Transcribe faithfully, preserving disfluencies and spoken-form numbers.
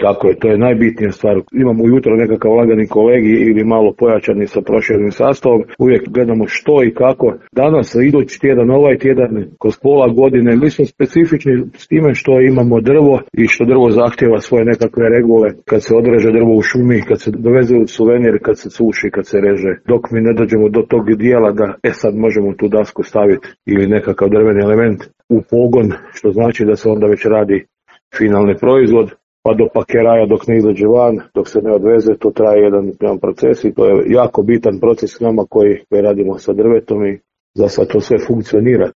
Tako je, to je najbitnija stvar. Imamo ujutro nekakav lagani kolegi ili malo pojačani sa proširenim sastavom. Uvijek gledamo što i kako. Danas, idući tjedan, ovaj tjedan, kroz pola godine, mi smo specifični s time što imamo drvo i što drvo zahtjeva svoje nekakve regule. Kad se odreže drvo u šumi, kad se doveze u suvenir, kad se suši, kad se reže. Dok mi ne dođemo do tog dijela da e sad možemo tu dasku staviti ili nekakav drveni element u pogon, što znači da se onda već radi finalni proizvod. Pa do pakeraja dok ne izađe van, dok se ne odveze, to traje jedan, jedan proces i to je jako bitan proces s nama koji, koji radimo sa drvetom i za sad to sve funkcionira.